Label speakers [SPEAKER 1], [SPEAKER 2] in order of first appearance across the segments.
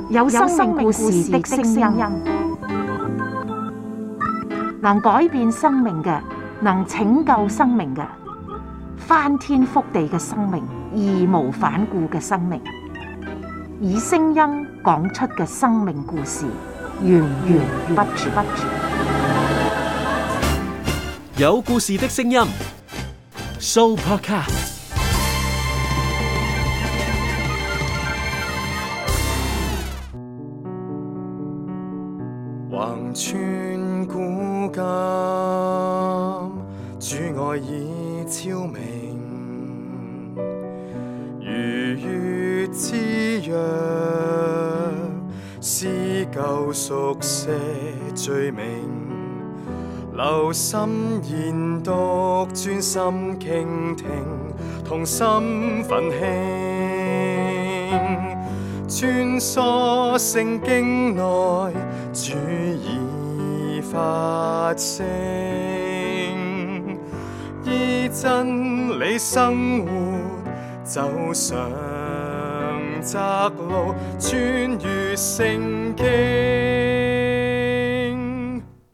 [SPEAKER 1] 有生命故事的聲音，能改變生命嘅，能拯救生命嘅，翻天覆地嘅生命，義無反顧嘅生命，以聲音講出嘅生命故事，源源不絕。
[SPEAKER 2] 有故事的聲音 ，Sooopodcast。
[SPEAKER 3] 橫穿古今，主愛已超明，如月之約，是救贖些罪名。留心研讀，專心傾聽，同心奮興，穿梭聖經內，主已發聲，依真理生活，走上窄路，穿越聖經。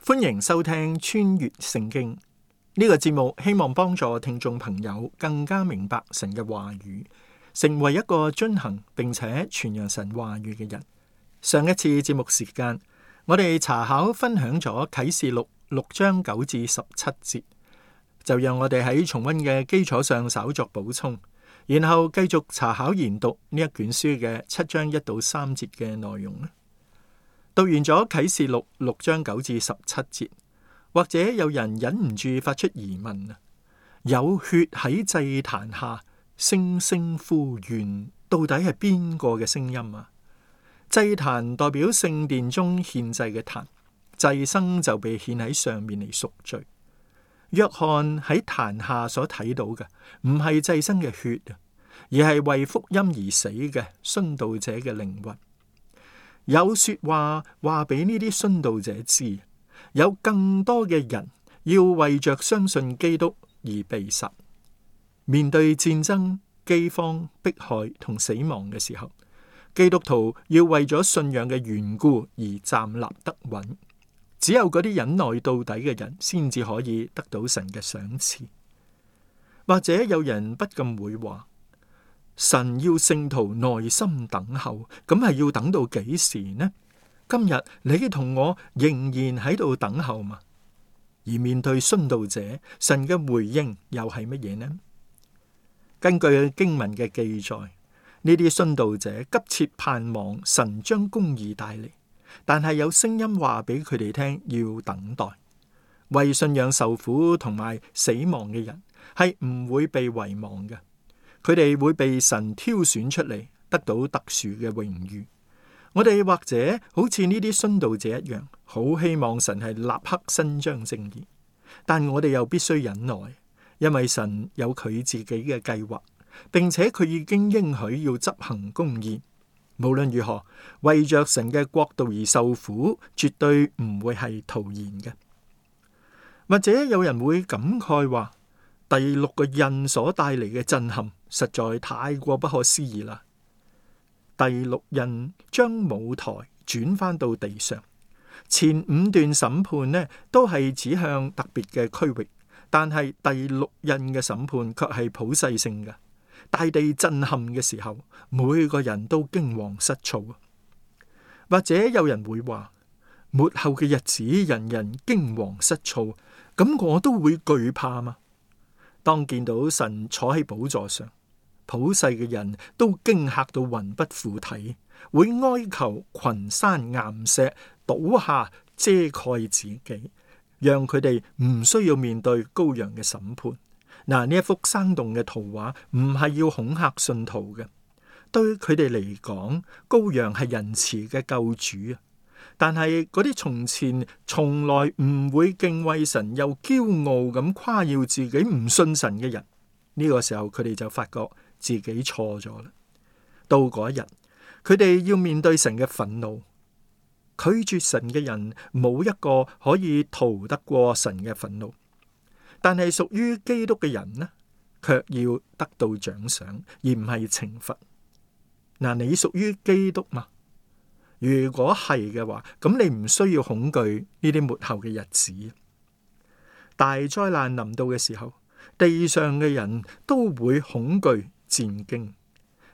[SPEAKER 4] 歡迎收聽《穿越聖經》呢個節目，希望幫助聽眾朋友更加明白神嘅話語，成為一個遵行並且傳揚神話語嘅人。上一次節目時間，我哋查考分享咗啟示錄6章9至17節，就讓我哋喺重溫嘅基礎上稍作補充，然後繼續查考研讀呢一卷書嘅7章1到3節嘅內容。讀完咗啟示錄6章9至17節，或者有人忍唔住發出疑問啊，有血喺祭壇下聲聲呼喚，到底係邊個嘅聲音啊？祭壇代表聖殿中獻祭嘅壇，祭牲就被獻喺上面嚟贖罪。約翰喺壇下所睇到嘅唔係祭牲嘅血啊，而係為福音而死嘅殉道者嘅靈魂。有說話話俾呢啲殉道者知，有更多嘅人要為着相信基督而被殺。面對戰爭、饑荒、迫害同死亡嘅時候，基督徒要為咗信仰嘅緣故而站立得穩。只有嗰啲忍耐到底嘅人，先至可以得到神嘅賞賜。或者有人不禁會話，神要聖徒耐心等候，咁係要等到幾時呢？今日你同我仍然喺度等候嘛？而面對殉道者，神嘅回應又係乜嘢呢？根據經文嘅記載，呢啲殉道者急切盼望神將公義帶嚟，但係有聲音話俾佢哋聽要等待。為信仰受苦同埋死亡嘅人係唔會被遺忘嘅。佢哋會被神挑選出嚟，得到特殊嘅榮譽。我哋或者好似呢啲殉道者一樣，好希望神係立刻伸張正義，但我哋又必須忍耐，因為神有佢自己嘅計劃，並且佢已經應許要執行公義。無論如何，為着神嘅國度而受苦，絕對唔會係徒然嘅。或者有人會感慨話，第6個印所帶嚟嘅震撼實在太過不可思議啦！第6印將舞台轉翻到地上，前5段審判呢都係指向特別嘅區域，但係第6印嘅審判卻係普世性嘅。大地震撼嘅時候，每個人都驚惶失措。或者有人會話，末後嘅日子人人驚惶失措，咁我都會懼怕嘛？當見到神坐喺寶座上，普世嘅人都驚嚇到魂不附體，會哀求群山岩石倒下遮蓋自己，讓佢哋唔需要面對羔羊嘅審判。嗱，呢一幅生動嘅圖畫唔係要恐嚇信徒嘅，對佢哋嚟講，羔羊係仁慈嘅救主啊！但係嗰啲從前從來唔會敬畏神又驕傲咁誇耀自己唔信神嘅人，呢個時候佢哋就發覺自己錯咗啦。到嗰一日，佢哋要面對神嘅憤怒，拒絕神嘅人冇一個可以逃得過神嘅憤怒。但係屬於基督嘅人呢，卻要得到獎賞，而唔係懲罰。嗱，你屬於基督嘛？如果係嘅話，咁你唔需要恐懼呢啲末後嘅日子。大災難臨到嘅時候，地上嘅人都會恐懼戰驚。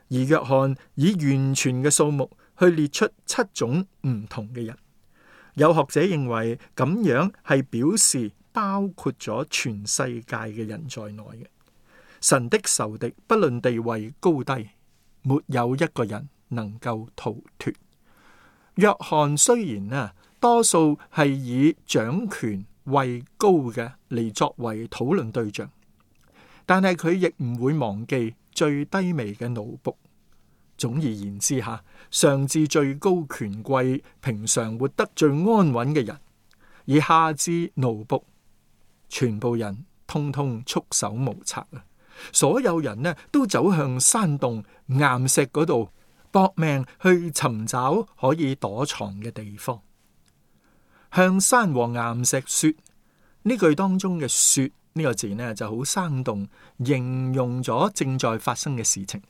[SPEAKER 4] 而約翰以完全嘅數目去列出7種唔同嘅人。有學者認為咁樣係表示包括咗全世界嘅人在內嘅。神的仇敵不論地位高低，沒有一個人能夠逃脫。約翰雖然多數係以掌權位高嘅嚟作為討論對象，但係佢亦唔會忘記最低微嘅奴僕。總而言之上至最高權貴，平常活得最安穩嘅人，而下至奴僕，全部人通通束手無策。所有人都走向山洞岩石嗰度搏命去尋找可以躲藏嘅地方。向山和岩石說，呢句當中嘅說呢個字就好生動，形容咗正在發生嘅事情。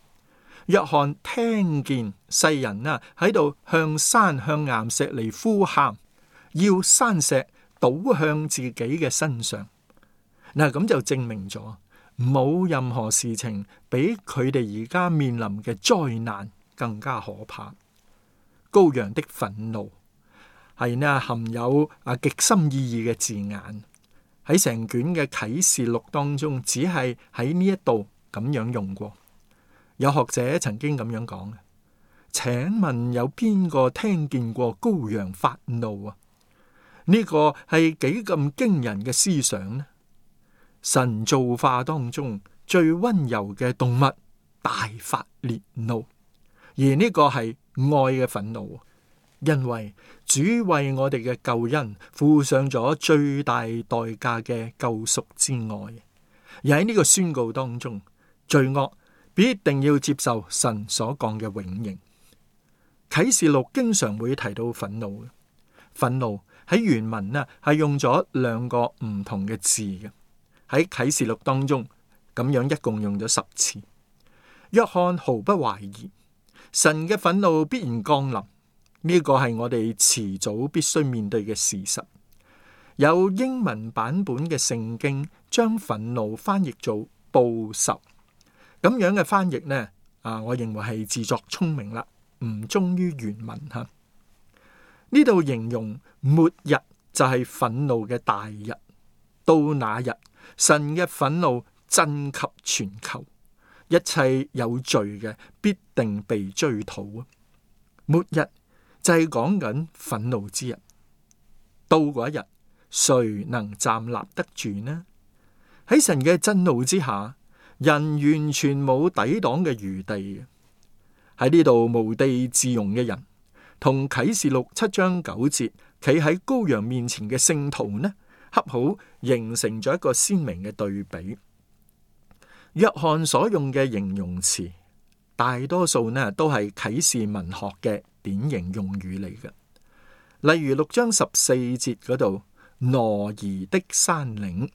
[SPEAKER 4] 約翰聽見世人喺度向山向岩石嚟呼喊，要山石倒向自己嘅身上。咁就證明咗冇任何事情比佢哋而家面臨嘅災難更加可怕。羔羊的憤怒係含有極深意義嘅字眼，喺成卷嘅啟示錄當中，只係喺呢一度咁樣用過。有學者曾經咁樣講，請問有邊個聽見過羔羊發怒啊？呢個係幾咁驚人嘅思想呢？神造化當中最溫柔嘅動物大發烈怒，而呢個係愛嘅憤怒，因為主為我哋嘅救恩付上咗最大代價嘅救贖之愛。而喺呢個宣告當中，罪惡必定要接受神所講嘅永刑。啟示錄經常會提到憤怒，憤怒喺原文係用咗2個唔同嘅字嘅。喺啟示錄當中咁樣一共用咗10次。約翰毫不懷疑神嘅憤怒必然降臨，呢個係我哋遲早必須面對嘅事實。有英文版本嘅聖經將憤怒翻譯做報仇。咁樣嘅翻譯呢，我認為係自作聰明啦，唔忠於原文吓。呢度形容末日就係憤怒嘅大日，到那日神嘅憤怒震及全球，一切有罪嘅必定被追討。末日就係講緊憤怒之日，到嗰一日，誰能站立得住呢？喺神嘅震怒之下，人完全冇抵擋嘅餘地。喺呢度無地自容嘅人，同啟示錄7章9節企喺羔羊面前嘅聖徒呢，恰好形成咗一個鮮明嘅對比。約翰所用嘅形容詞，大多數呢都係啟示文學嘅典型用語嚟嘅。例如6章14節嗰度，挪移的山嶺。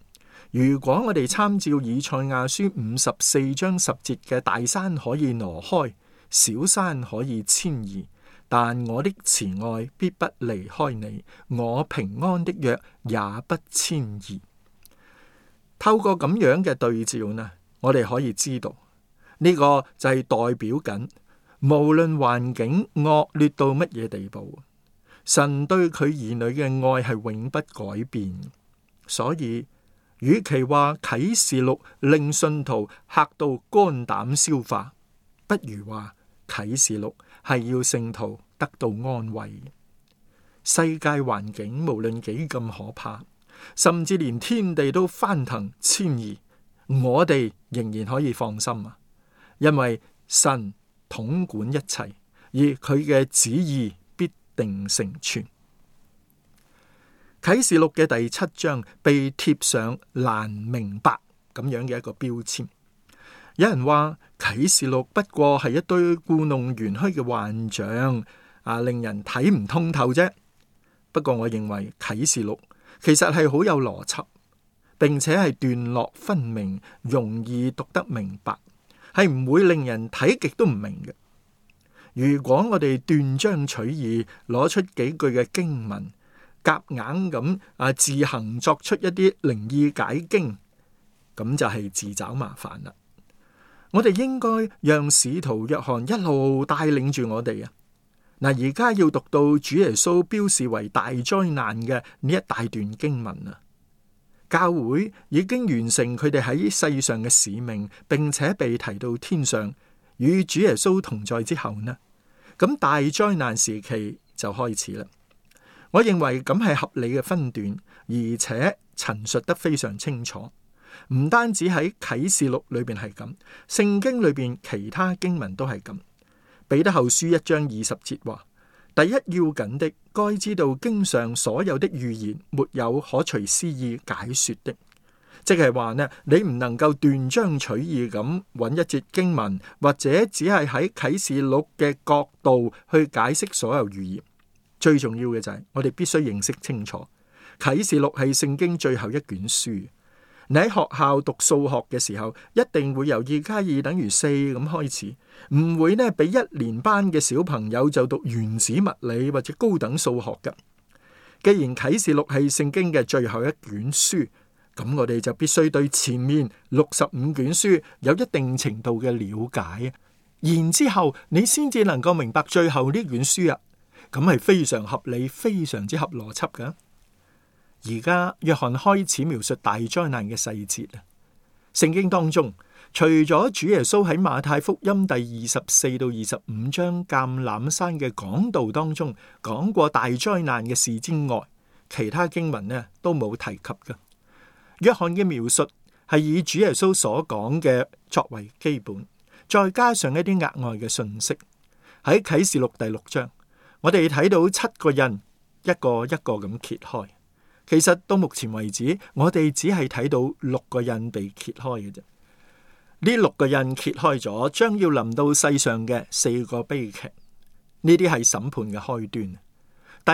[SPEAKER 4] 如果我哋參照以賽亞書54章10節嘅大山可以挪開，小山可以遷移，但我的慈愛必不離開你，我平安的約也不遷移。透過咁樣嘅對照呢，我哋可以知道呢個就係代表緊，無論環境惡劣到乜嘢地步，神對佢兒女嘅愛係永不改變。所以與其話啟示錄令信徒嚇到肝膽消化，不如話啟示錄係要聖徒得到安慰。世界環境無論幾咁可怕，甚至連天地都翻騰遷移，我哋仍然可以放心啊！因為神統管一切，而佢嘅旨意必定成全。啟示錄嘅第7章被貼上難明白咁樣嘅一個標籤。有人話啟示錄不過係一堆故弄玄虛嘅幻象，令人睇唔通透啫。不過我認為啟示錄其實係好有邏輯，並且係段落分明，容易讀得明白，係唔會令人睇極都唔明嘅。如果我哋斷章取義，攞出幾句嘅經文，夾硬咁自行作出一啲靈意解經，咁就係自找麻煩啦。我哋應該讓使徒約翰一路帶領住我哋啊。嗱，而家要讀到主耶穌標示為大災難嘅呢一大段經文啊。教會已經完成佢哋喺世上嘅使命，並且被提到天上與主耶穌同在之後呢，咁大災難時期就開始啦。我認為咁係合理嘅分段，而且陳述得非常清楚。唔單止喺啟示錄裏邊係咁，聖經裏邊其他經文都係咁。彼得後書1章20節話：第一要緊的，該知道經上所有的預言沒有可隨私意解說的。即係話呢，你唔能夠斷章取義咁揾一節經文，或者只係喺啟示錄嘅角度去解釋所有預言。最重要嘅就係我哋必須認識清楚，啟示錄係聖經最後一卷書。你喺學校讀數學嘅時候，一定會由2+2等於4咁開始，唔會呢俾1年班嘅小朋友就讀原子物理或者高等數學嘅。既然啟示錄係聖經嘅最後一卷書，咁我哋就必須對前面65卷書有一定程度嘅了解，然之後你先至能夠明白最後呢卷書啊。咁係非常合理，非常之合邏輯㗎。而家約翰開始描述大災難嘅細節啊。聖經當中，除咗主耶穌喺馬太福音第24到25章橄欖山嘅講道當中講過大災難嘅事之外，其他經文呢都冇提及㗎。約翰嘅描述係以主耶穌所講嘅作為基本，再加上一啲額外嘅信息。喺啟示錄第6章，我哋睇到7個印一個一個咁揭開。其實到目前為止，我哋只係睇到6個印被揭開嘅啫。呢6個印揭開咗，將要臨到世上嘅4個悲劇，呢啲係審判嘅開端。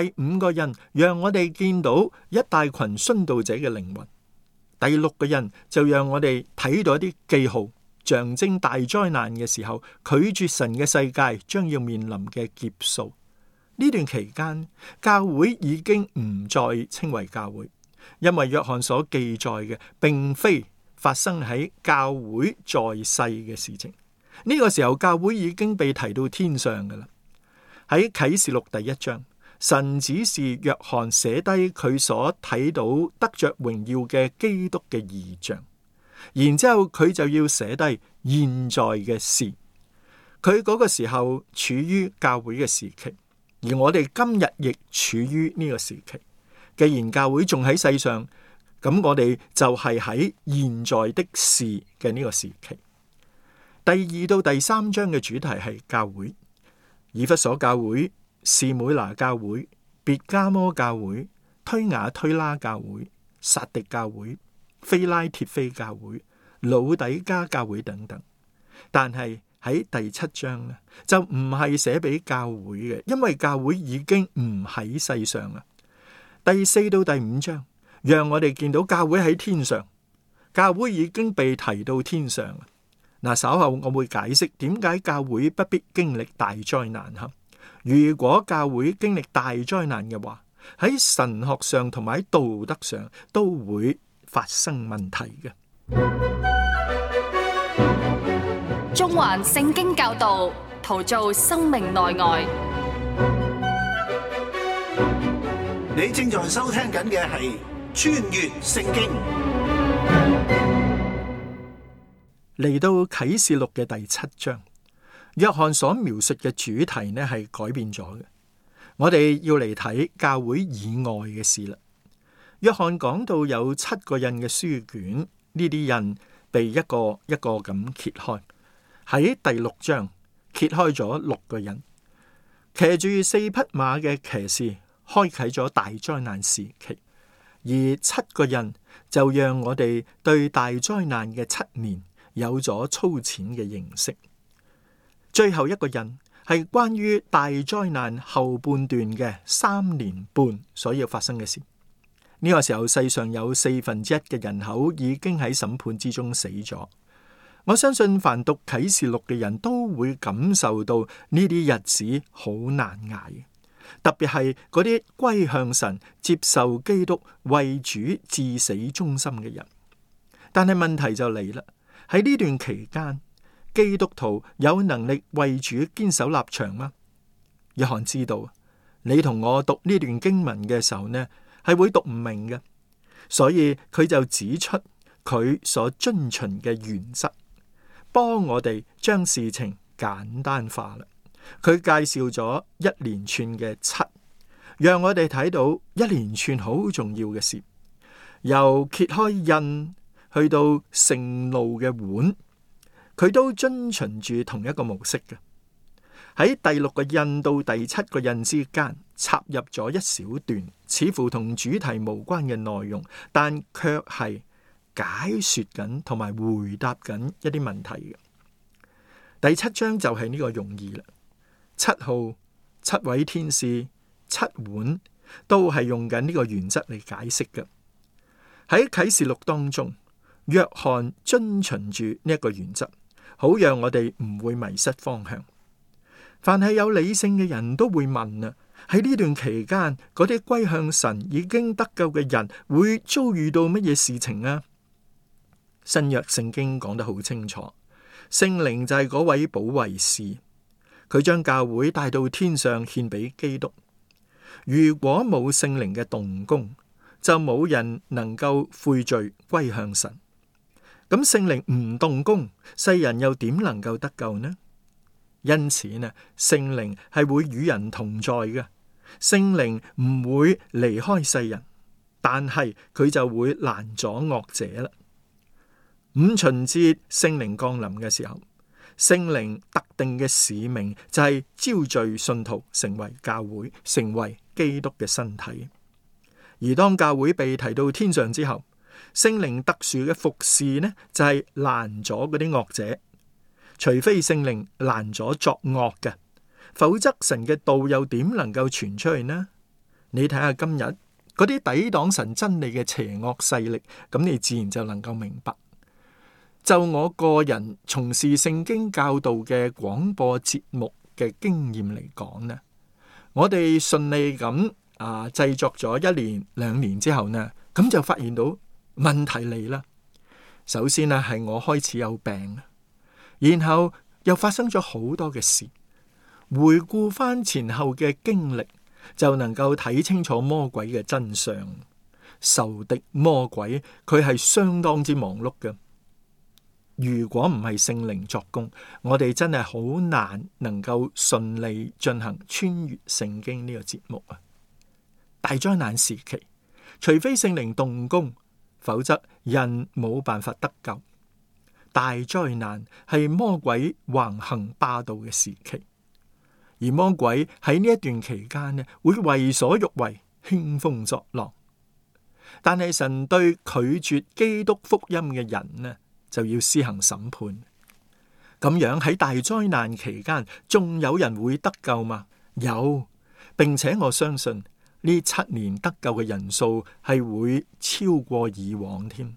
[SPEAKER 4] 第5個印讓我哋見到一大群殉道者嘅靈魂。第6個印就讓我哋睇到一啲記號，象徵大災難嘅時候，拒絕神嘅世界將要面臨嘅劫數。呢段期間，教會已經唔再稱為教會，因為約翰所記載嘅並非發生喺教會在世嘅事情。呢個時候，教會已經被提到天上㗎喇。喺啟示錄第1章，神指示約翰寫低佢所睇到得着榮耀嘅基督嘅異象，然之後佢就要寫低現在嘅事。佢嗰個時候處於教會嘅時期。而我哋今日亦處於呢個時期。既然教會仲喺世上，咁我哋就係喺現在的事嘅呢個時期。第2到第3章嘅主題係教會，以弗所教會、士每拿教會、別加摩教會、推雅推拉教會、撒狄教會、非拉鐵非教會、老底加教會等等。但係喺第7章咧，就唔係寫俾教會嘅，因為教會已經唔喺世上啦。第4到第5章，讓我哋見到教會喺天上，教會已經被提到天上。嗱，稍後我會解釋點解教會不必經歷大災難哈。如果教會經歷大災難嘅話，喺神學上同埋喺道德上都會發生問題嘅。
[SPEAKER 5] 中環聖經教導，陶造生命內外。
[SPEAKER 6] 你正在收聽緊嘅係穿越聖經。
[SPEAKER 4] 嚟到啟示錄嘅第7章，約翰所描述嘅主題呢係改變咗嘅。我哋要嚟睇教會以外嘅事啦。約翰講到有7個印嘅書卷，呢啲印被一個一個咁揭開。喺第6章揭開咗6個印，騎住4匹馬嘅騎士開啟咗大災難時期，而7個印就讓我哋對大災難嘅7年有咗粗淺嘅認識。最後一個印係關於大災難後半段嘅3年半所要發生嘅事。呢個時候，世上有1/4嘅人口已經喺審判之中死咗。我相信凡讀啟示錄嘅人都會感受到呢啲日子好難捱，特別係嗰啲歸向神、接受基督為主至死忠心嘅人。但係問題就嚟啦，喺呢段期間，基督徒有能力為主堅守立場嗎？約翰知道，你同我讀呢段經文嘅時候呢，係會讀唔明嘅，所以佢就指出佢所遵循嘅原則，幫我哋將事情簡單化啦。佢介紹咗一連串嘅七，讓我哋睇到一連串好重要嘅事，由揭開印去到盛怒嘅碗，佢都遵循住同一個模式嘅。喺第六個印到第七個印之間插入咗一小段似乎同主題無關嘅內容，但卻係解說緊同埋回答緊一啲問題嘅。第七章就係呢個用意啦。七號、七位天使、七碗都係用緊呢個原則嚟解釋嘅。喺啟示錄當中，約翰遵循住呢一個原則，好讓我哋唔會迷失方向。凡係有理性嘅人都會問啊，喺呢段期間，嗰啲歸向神已經得救嘅人會遭遇到乜嘢事情啊？新約聖經講得好清楚，聖靈就係嗰位保惠師，佢將教會帶到天上獻俾基督。如果冇聖靈嘅動工，就冇人能夠悔罪歸向神。咁聖靈唔動工，世人又點能夠得救呢？因此呢，聖靈係會與人同在嘅，聖靈唔會離開世人，但係佢就會攔阻惡者啦。五旬節聖靈降臨嘅時候，聖靈特定嘅使命就係招聚信徒成為教會，成為基督嘅身體。而當教會被提到天上之後，聖靈特殊嘅服侍呢，就係攔阻嗰啲惡者。除非聖靈攔阻作惡嘅，否則神嘅道又點能夠傳出去呢？你睇下今日嗰啲抵擋神真理嘅邪惡勢力，咁你自然就能夠明白。就我個人從事聖經教導嘅廣播節目嘅經驗嚟講呢，我哋順利咁製作咗1年2年之後呢，咁就發現到問題嚟啦。首先呢，係我開始有病，然後又發生咗好多嘅事。回顧翻前後嘅經歷，就能夠睇清楚魔鬼嘅真相。仇敵魔鬼佢係相當之忙碌嘅。如果唔係聖靈作工，我哋真係好難能夠順利進行穿越聖經呢個節目啊！大災難時期，除非聖靈動工，否則人冇辦法得救。大災難係魔鬼橫行霸道嘅時期，而魔鬼喺呢一段期間呢，會為所欲為，興風作浪。但係神對拒絕基督福音嘅人呢，就要施行審判。咁樣喺大災難期間，仲有人會得救嗎？有，並且我相信呢7年得救嘅人數係會超過以往添。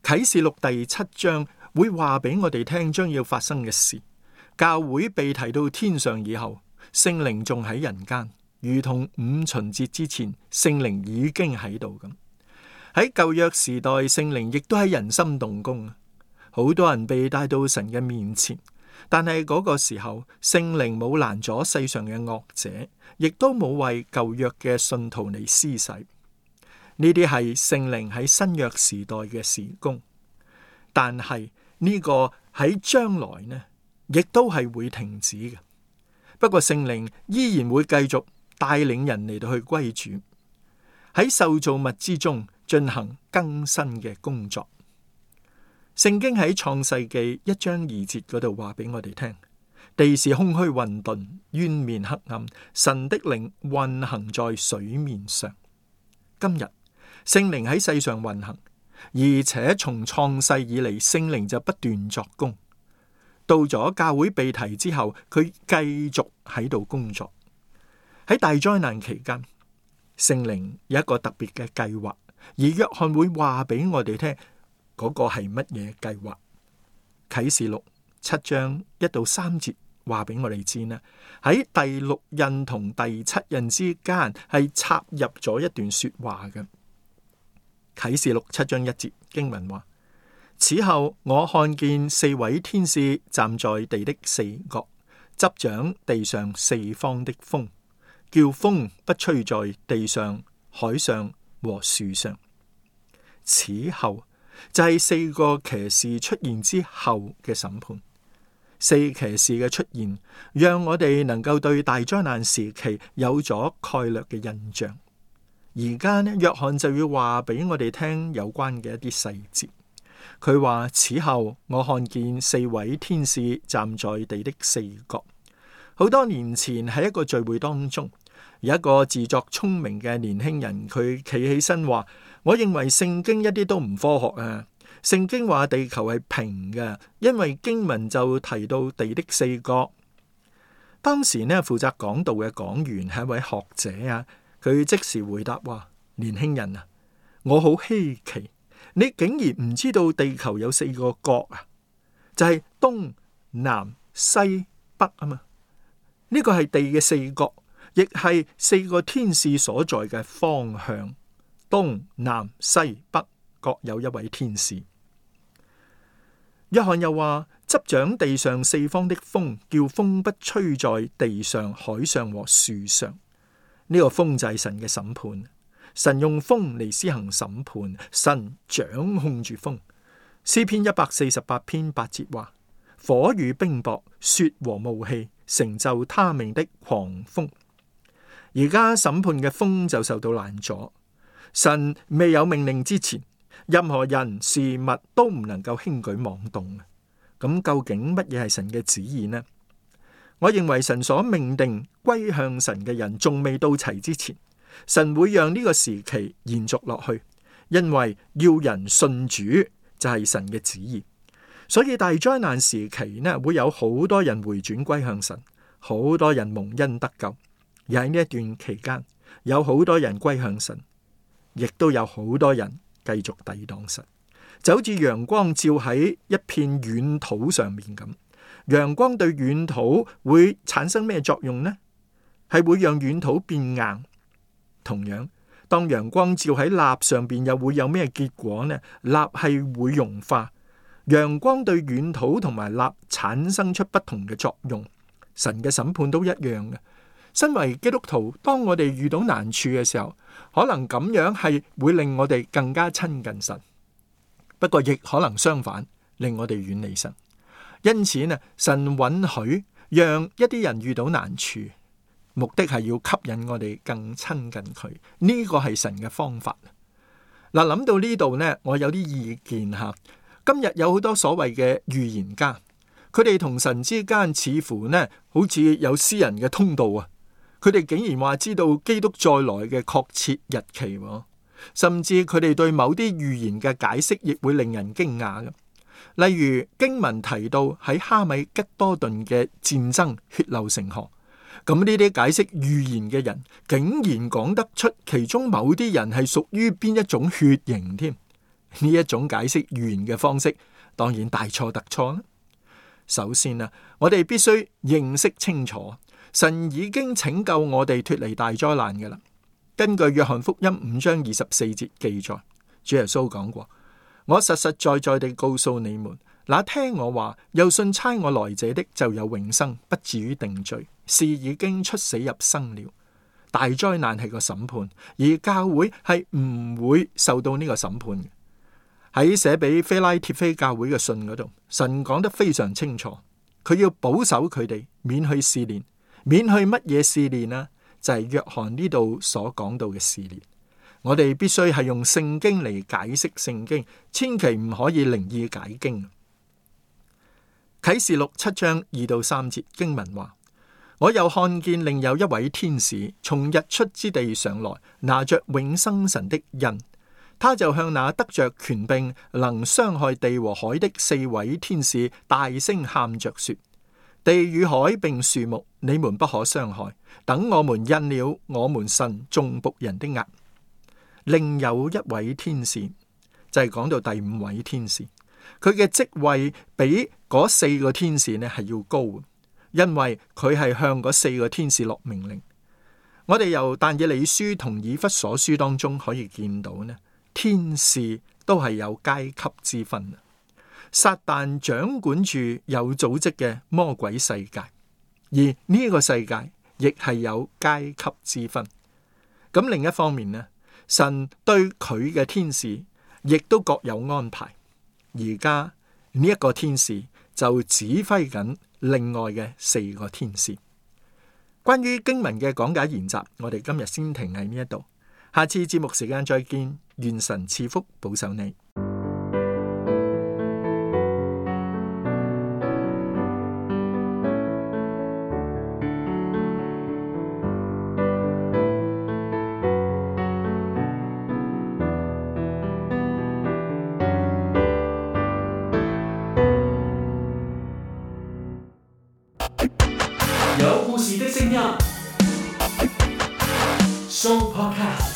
[SPEAKER 4] 啟示錄第7章會話俾我哋聽將要發生嘅事。教會被提到天上以後，聖靈仲喺人間，如同五旬節之前，聖靈已經喺度咁。喺舊約時代，聖靈亦都喺人心動工，好多人被帶到神嘅面前，但係嗰個時候，聖靈冇攔阻世上嘅惡者，亦都冇為舊約嘅信徒嚟施洗。呢啲係聖靈喺新約時代嘅事工，但係呢個喺將來呢，亦都係會停止嘅。不過聖靈依然會繼續帶領人嚟到去歸主，喺受造物之中進行更新嘅工作。聖經喺創世記1章2節嗰度話俾我哋聽，地是空虛混沌，淵面黑暗，神的靈運行在水面上。今日聖靈喺世上運行，而且從創世以嚟，聖靈就不斷作工。到咗教會被提之後，佢繼續喺度工作。喺大災難期間，聖靈有一個特別嘅計劃，而約翰會話俾我哋聽嗰個係乜嘢計劃。啟示錄7章1到3節話俾我哋知呢，喺第6印同第7印之間係插入咗一段說話嘅。啟示錄7章1節經文話：此後我看見4位天使站在地的4角，執掌地上4方的風，叫風不吹在地上、海上和樹上。此後就係4個騎士出現之後嘅審判。4騎士嘅出現，讓我哋能夠對大災難時期有咗概略嘅印象。而家呢，約翰就要話俾我哋聽有關嘅一啲細節。佢話：此後我看見4位天使站在地的4角。好多年前喺一個聚會當中，有一個自作聰明嘅年輕人，佢企起身話：我認為聖經一啲都唔科學啊！聖經話地球係平嘅，因為經文就提到地的4角。當時呢，負責講道嘅講員係一位學者啊，佢即時回答話：年輕人啊，我好稀奇，你竟然唔知道地球有4個角啊，就係東南西北啊嘛。呢個係地嘅4角，亦係4個天使所在嘅方向。東南西北各有一位天使。約翰又話：執掌地上4方的風，叫風不吹在地上、海上和樹上。呢個風就係神嘅審判，神用風嚟施行審判，神掌控住風。詩篇148篇8節話：火與冰雹、雪和霧氣，成就他命的狂風。而家審判嘅風就受到攔阻，神未有命令之前，任何人事物都唔能夠輕舉妄動。咁究竟乜嘢係神嘅旨意呢？我認為神所命定歸向神嘅人仲未到齊之前，神會讓呢個時期延續落去，因為要人信主就係神嘅旨意。所以大災難時期呢，會有好多人回轉歸向神，好多人蒙恩得救。而喺呢一段期間，有好多人歸向神，亦都有好多人繼續抵擋神，就好似陽光照喺一片軟土上面咁。陽光對軟土會產生咩作用呢？係會讓軟土變硬。同樣，當陽光照喺蠟上邊，又會有咩結果呢？蠟係會融化。陽光對軟土同埋蠟產生出不同嘅作用。神嘅審判都一樣嘅。身為基督徒，當我哋遇到難處嘅時候，可能咁樣係會令我哋更加親近神，不過亦可能相反，令我哋遠離神。因此呢，神允許讓一啲人遇到難處，目的係要吸引我哋更親近佢。呢個係神嘅方法。嗱，諗到呢度呢，我有啲意見吓。今日有好多所謂嘅預言家，佢哋同神之間似乎呢，好似有私人嘅通道啊！佢哋竟然話知道基督再來嘅確切日期，甚至佢哋對某啲預言嘅解釋亦會令人驚訝嘅。例如經文提到喺哈米吉多頓嘅戰爭血流成河，咁呢啲解釋預言嘅人竟然講得出其中某啲人係屬於邊一種血型添。呢一種解釋預言嘅方式當然大錯特錯啦。首先啊，我哋必須認識清楚，神已經拯救我哋脫離大災難嘅啦。根據約翰福音5章24節記載，主耶穌講過：我實實在在地告訴你們，那聽我話又信差我來者的就有永生，不至於定罪，是已經出死入生了。大災難係個審判，而教會係唔會受到呢個審判嘅。喺寫俾非拉鐵非教會嘅信嗰度，神講得非常清楚，佢要保守佢哋免去試煉。免去乜嘢試煉啊？就係約翰呢度所講到嘅試煉。我哋必須係用聖經嚟解釋聖經，千祈唔可以靈意解經。啟示錄7章2到3節經文話：我又看見另有一位天使從日出之地上來，拿着永生神的印。他就向那得着權柄能傷害地和海的4位天使大聲喊着說：地與海並樹木，你們不可傷害，等我們印了我們神眾僕人的額。另有一位天使，就係講到第5位天使，佢嘅職位比嗰4個天使呢係要高，因為佢係向嗰4個天使落命令。我哋由但以理書同以弗所書當中可以見到呢，天使都係有階級之分。撒旦掌管住有組織嘅魔鬼世界，而呢個世界亦係有階級之分。咁另一方面呢，神對佢嘅天使亦都各有安排。而家呢一個天使就指揮緊另外嘅4個天使。關於經文嘅講解研習，我哋今日先停喺呢一度，下次節目時間再見，願神賜福保守你。
[SPEAKER 2] 有故事的聲音，Show Podcast。